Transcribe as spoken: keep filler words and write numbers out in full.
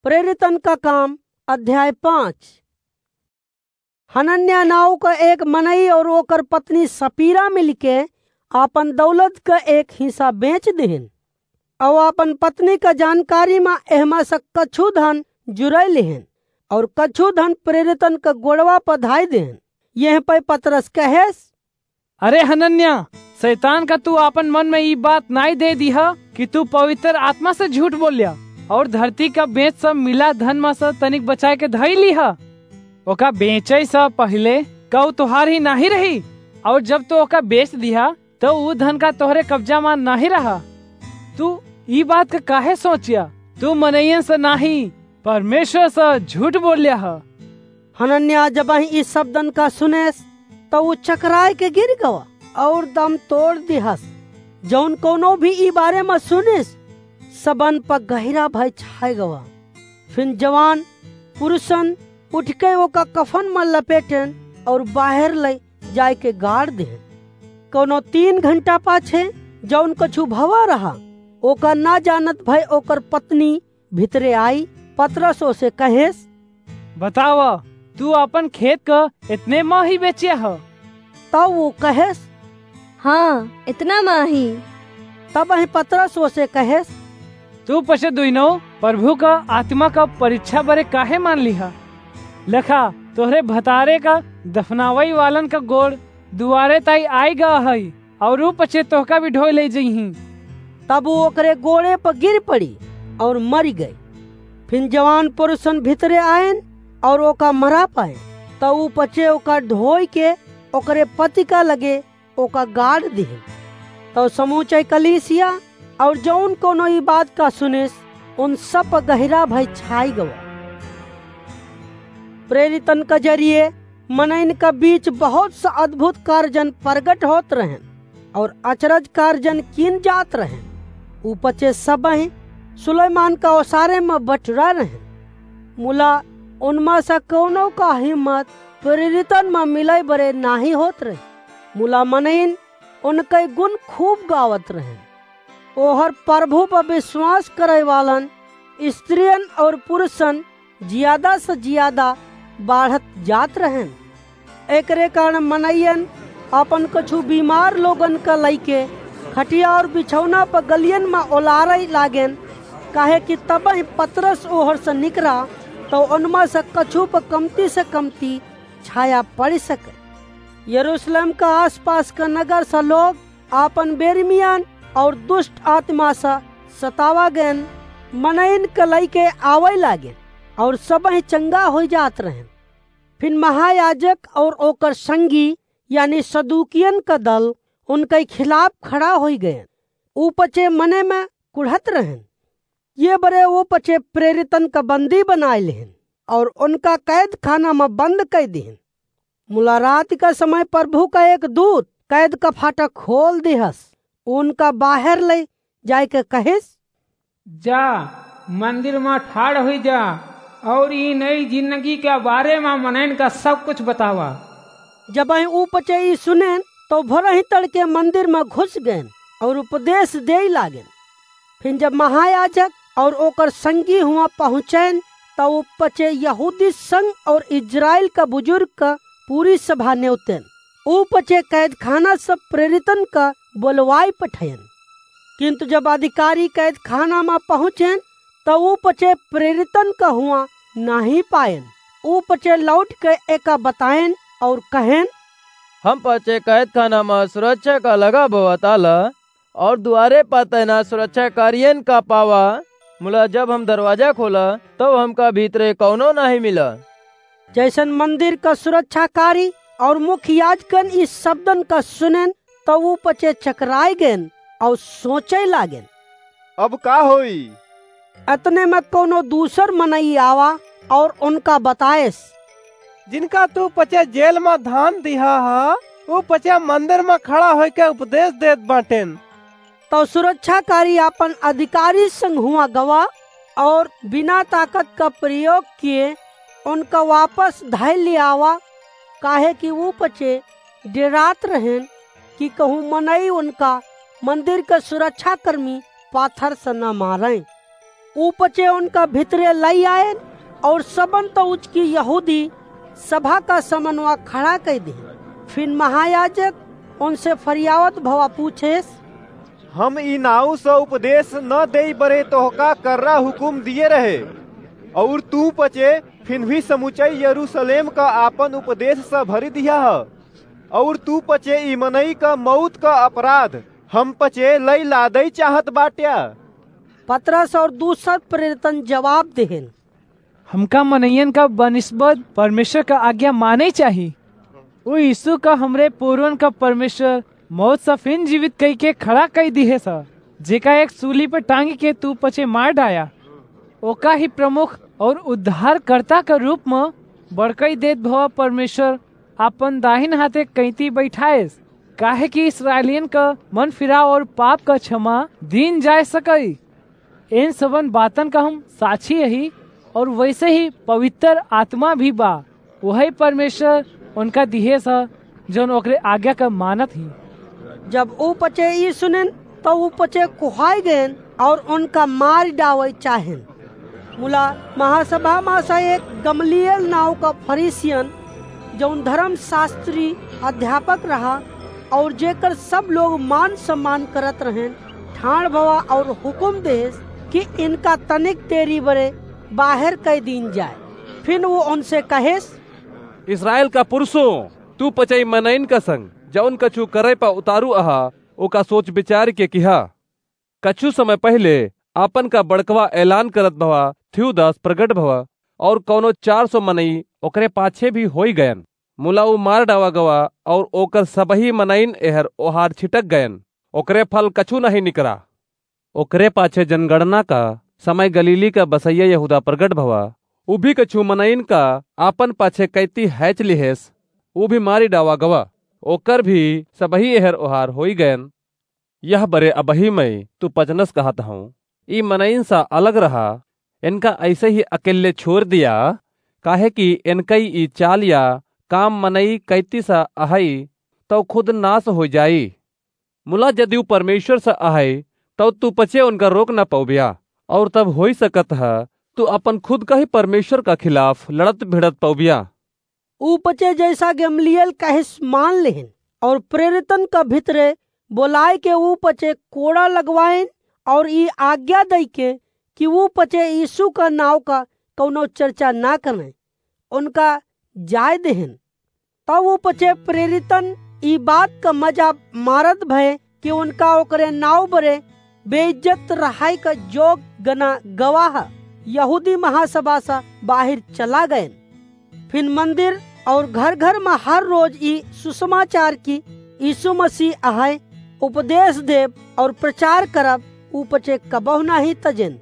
प्रेरितन का काम, अध्याय पाँच। हनन्या नाव का एक मनई और ओकर पत्नी सपीरा मिलके आपन दौलत का एक हिस्सा बेच दिहिन, और आपन पत्नी का जानकारी मा एहमा से कछु धन जुराई लिहिन, और कछु धन प्रेरितन का गोड़वा पर धाई दिहिन। यह पे पतरस कहेस, अरे हनन्या, शैतान का तू आपन मन में ई बात नाई दे दिहा कि तू पवित्र आत्मा से झूठ बोल्या और धरती का बेच सब मिला धन में से तनिक बचाए के धई लिहा। ओका बेचे से पहले का ऊ तोहार ही नाही रही, और जब तू ओका बेच दिहा, तो ऊ धन का तोहरे कब्जा में नाही रहा। तू ई बात का काहे सोचिया? तू मनइयन से नाही, परमेश्वर से झूठ बोल्या ह। हनन्या जब ही ई शब्दन का सुनेस, तो ऊ चकराए के गिर गवा और दम तोड़ दिहस। जौन कोनो भी ई बारे में सुनिस, सबन पर गहिरा भय छाए गवा। फिर जवान पुरुषन उठ के ओका कफन में लपेटेन और बाहर ले जाए के गाड़ देहन। कोनो तीन घंटा पाछे जौन कछु भवा रहा, ओका ना जानत भय ओकर पत्नी भितरे आई, पतरस ओसे कहेस, बतावा, तू अपन खेत क इतने मा ही बेचे ह? तब वो कहेस, हाँ, इतना मा ही। तब वही पतरस ओसे कहेस, तू पछे दुइनो प्रभु का आत्मा का परीक्षा बरे काहे मान लिहा? लखा, तोहरे भतारे का दफनावई वालन का गोड़ दुआरे ताई आई गा हई, और ऊ पछे तोहका भी ढोई ले जइहीं। तब ऊ ओकरे गोड़े पर गिर पड़ी और मरी गई। फिर जवान पुरुषन भीतरे आयन और ओका मरा पाए, तब ऊ पछे ओका ढोई के ओकरे पति का लगे ओका गाड़ दिहिन। तब समूचे कलीसिया और जौन कोनो ई बात का सुनिस, उन सब पर गहिरा भय छाई गवा। प्रेरितन का जरिए मनइन का बीच बहुत सा अद्भुत कार्यन प्रगट होत रहन और अचरज कार्यन कीन जात रहन। ऊ पछे सबही सुलेमान का ओसारे में बटुरा रहन। मुला उनमा से कौनो का हिम्मत प्रेरितन में मिले बरे नाही होत रहे। मुला मनइन उनके गुण खूब गावत रहन। ओहर प्रभु पर विश्वास करे वालन स्त्रियन और पुरुषन ज्यादा से ज्यादा बाढ़त जात रहन। एकरे कारण मनइयन अपन कछु बीमार लोगन का लइके खटिया और बिछौना पर गलियन में ओलारे लागेन, काहे कि तबही पतरस ओहर से निकरा, तो उनमा से कछु पर कमती से कमती छाया पड़ सके। यरूशलेम का आसपास का नगर से लोग आपन बेरमियान और दुष्ट आत्मा से सतावा गएन मनइन के लइके आवे लागेन और सबही चंगा होइ जात रहन। फिर महायाजक और ओकर संगी यानी सदूकियन का दल उनके खिलाफ खड़ा होइ गएन। ऊ पछे मने में कुढ़त रहन। ये बरे वो पछे प्रेरितन का बंदी बनाए लेहन और उनका कैद खाना में बंद कर दिहन। मुला रात का समय प्रभु का एक दूत कैद का फाटक खोल दिहस, उनका बाहर ले जाए के कहिस, जा, मंदिर में ठाड़ हुई जा और ई नई जिंदगी के बारे में मनैन का सब कुछ बतावा। जब ऊ पछे ई सुनेन, तो भोरही तड़के मंदिर में घुस गएन और उपदेश देई लागेन। फिर जब महायाजक और ओकर संगी हुआ पहुँचेन, तो ऊ पछे यहूदी संघ और इजराइल का बुजुर्ग का पूरी सभा नेवतेन। ऊ पछे कैदखाना से प्रेरितन का बोलवाई पठेन। किंतु जब अधिकारी कैदखाना में पहुँचेन, तो ऊ पछे प्रेरितन का हुआ नाही पाएन। ऊ पछे लौट के एका बताएन और कहेन, हम पछे कैदखाना में सुरक्षा का लगा बवा ताला और दुआरे पर तैनात सुरक्षाकारियन का पावा, मुला जब हम दरवाजा खोला, तब हमका भीतरे कौनो नाही मिला। जैसन मंदिर का सुरक्षाकारी और मुख्य याजकन इस शब्दन का सुनेन, तो ऊ पछे चकराए गएन और सोचे लागेन, अब का होई? अतने में कौनो दूसर मनई आवा और उनका बताएस, जिनका तू पछे जेल में धान दिहा हा, ऊ पछे मंदिर में खड़ा होके उपदेश देत बाटेन। तो सुरक्षाकारी आपन अधिकारी संग हुआ गवा और बिना ताकत का प्रयोग किए उनका वापस धै ले आवा, काहे कि ऊ पछे डेरात रहेन कि कहूँ मनई उनका मंदिर के सुरक्षाकर्मी पाथर से न मारें। ऊ पचे उनका भितरे लई आएन और सबन त उचकी यहूदी सभा का समनवा खड़ा कई दिहेन। फिन महायाजक उनसे फरियावत भवा पूछेस, हम ई नाऊ स उपदेश न देई बरे तोहका कर्रा हुकुम दिए रहे, और तू पचे फिन भी समुचई यरूशलेम का आपन उपदेश स भरी दिया ह, और तू पचे ई मनई का मौत का अपराध हम पचे लई लादई चाहत बाट्या। पतरस और दूसर प्रेरितन जवाब देहेन, हमका मनइयन का बनिस्बत परमेश्वर का आज्ञा माने चाही। उ यीशु का हमरे पूर्वन का परमेश्वर मौत से फिन जीवित कई के खड़ा कई दिहे सा, जेका एक सूली पर टांगी के तू पचे मार डाया। ओका ही प्रमुख और उद्धारकर्ता का रूप में बड़कई देत भवा परमेश्वर आपन दाहिन हाथे कैंती बैठाएस, काहे कि इसराइलियन का मन फिराव और पाप का क्षमा दीन जाए सकई। इन सबन बातन का हम साक्षी यही, और वैसे ही पवित्र आत्मा भी बा, वही परमेश्वर उनका दिहे सा, जौन ओकरे आज्ञा का मानत ही। जब ऊ पचे ई सुनेन, तो ऊ पचे कुहाई गएन और उनका मार डावे चाहेन। मुला महासभा मा से एक गमलिएल नाव का फरीसियन, जौन धर्मशास्त्री अध्यापक रहा और जेकर सब लोग मान सम्मान करत रहेन, ठाण भवा और हुकुम देस कि इनका तनिक देरी बरे बाहर कई दीन जाए। फिन वो उनसे कहेस, इसराइल का पुरुषों, तू पचई मनइन का संग जौन कछु करे पा उतारू अहा, ओका सोच विचार के किहा। कछु समय पहिले आपन का बड़कवा ऐलान करत भवा थियुदास प्रगट भवा, और कौनो चार सौ मनई ओकरे पाछे भी होई गयन। मुला ऊ मार डावा गवा, और ओकर सबही मनइन एहर ओहार छिटक गयन। ओकरे फल कछु नहीं निकरा। ओकरे पाछे जनगणना का समय गलीली का बसैया यहूदा प्रगट भवा। ऊ भी कछु मनइन का आपन पाछे कैती हैच लिहेस। ऊ भी मारी डावा गवा। ओकर भी सबही एहर ओहार होई गयन। यह बरे अबही मैं तू पचनस कहत हूँ, ई मनइन सा अलग रहा, इनका ऐसे ही अकेले छोड़ दिया, काहे कि इनकई ई चाल या काम मनई कैती सा अहई, तौ खुद नाश हो जाई। मुला जदिउ परमेश्वर सा अहई, तौ तू पचे उनका रोक न पौबिया, और तब होई सकत ह, तू अपन खुद का ही परमेश्वर का खिलाफ लड़त भिड़त पौबिया। ऊ पचे जैसा गमलिएल कहिस मान लेहन, और प्रेरितन का भितरे बोलाए के ऊ पचे कोड़ा लगवाएन, और ई आज्ञा दई के कि ऊ पचे यीशु का नाव का कौनो चर्चा ना करें, उनका जाय देहन। तब ऊ पचे प्रेरितन ई बात का मजा मारत भय कि उनका ओकरे नाव बरे बेइज्जत रहाई का जोग गना गवाह यहूदी महासभा सा बाहिर चला गएन। फिन मंदिर और घर घर मा हर रोज ई सुसमाचार की यीशु मसीह अहय उपदेश देब और प्रचार करब ऊ पचे कबहु नाही तजेन।